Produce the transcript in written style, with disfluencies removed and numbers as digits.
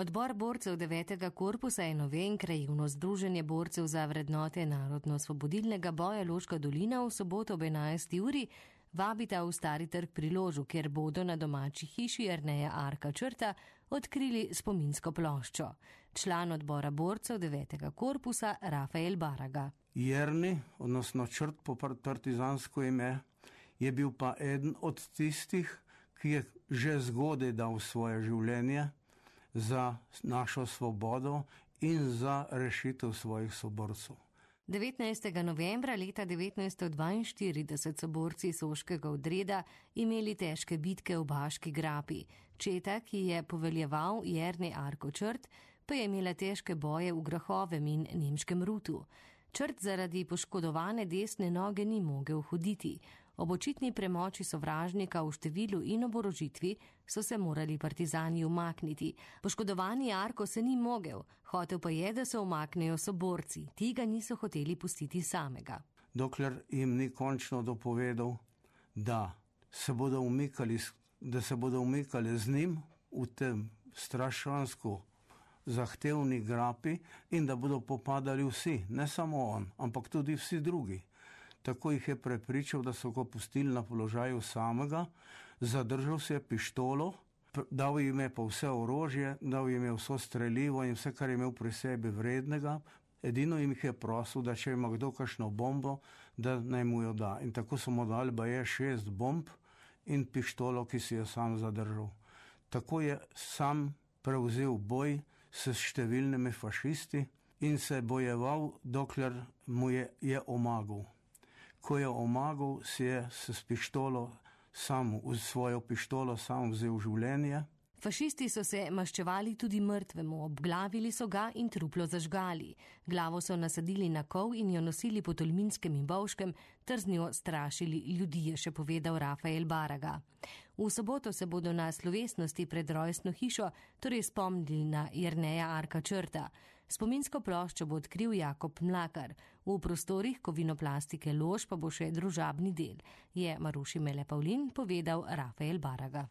Odbor borcev 9. korpusa NOVE in krajevno združenje borcev za vrednote narodno-osvobodilnega boja Loška dolina v soboto ob 11. uri vabita v Stari trg pri Ložu, kjer bodo na domači hiši Jerneja Arka Črta odkrili spominsko ploščo. Član odbora borcev 9. korpusa Rafael Baraga. Jernej, odnosno Črt po partizansko ime, je bil pa eden od tistih, ki je že zgodaj dal svoje življenje za našo svobodo in za rešitev svojih soborcev. 19. novembra leta 1942 so borci Soškega odreda imeli težke bitke v Baški grapi. Četa, ki je poveljeval Jernej Arko Črt, pa je imela težke boje v Grahovem in Nemškem Rutu. Črt zaradi poškodovane desne noge ni mogel hoditi. Ob očitni premoči sovražnika v številu in oborožitvi so se morali partizani umakniti. Poškodovani Arko se ni mogel, hotel pa je, da se umaknejo soborci. Ti ga niso hoteli pustiti samega. Dokler jim ni končno dopovedal, da se bodo umikali z njim v tem strašansko zahtevni grapi in da bodo popadali vsi, ne samo on, ampak tudi vsi drugi. Tako jih je prepričal, da so ga pustili na položaju samega, zadržal se je pištolo, dal jim je pa vse orožje, dal jim je vso strelivo in vse, kar je imel pri sebi vrednega. Edino jim je prosil, da če ima kdo kakšno bombo, da naj mu jo da. In tako so mu dali baje 6 bomb in pištolo, ki si jo sam zadržal. Tako je sam prevzel boj s številnimi fašisti in se bojeval, dokler mu je omagal. Ko je omagal, si je s pištolo svojo pištolo sam vzel življenje. Fašisti so se maščevali tudi mrtvemu, obglavili so ga in truplo zažgali. Glavo so nasadili na kol in jo nosili po Tolminskem in Bovškem, ter z njo strašili ljudi, je še povedal Rafael Baraga. V soboto se bodo na slovesnosti pred rojstno hišo torej spomnili na Jerneja Arka Črta. Spominsko ploščo bo odkril Jakob Mlakar. V prostorih Kovinoplastike Lož pa bo še družabni del, je Maruši Mele Pavlin povedal Rafael Baraga.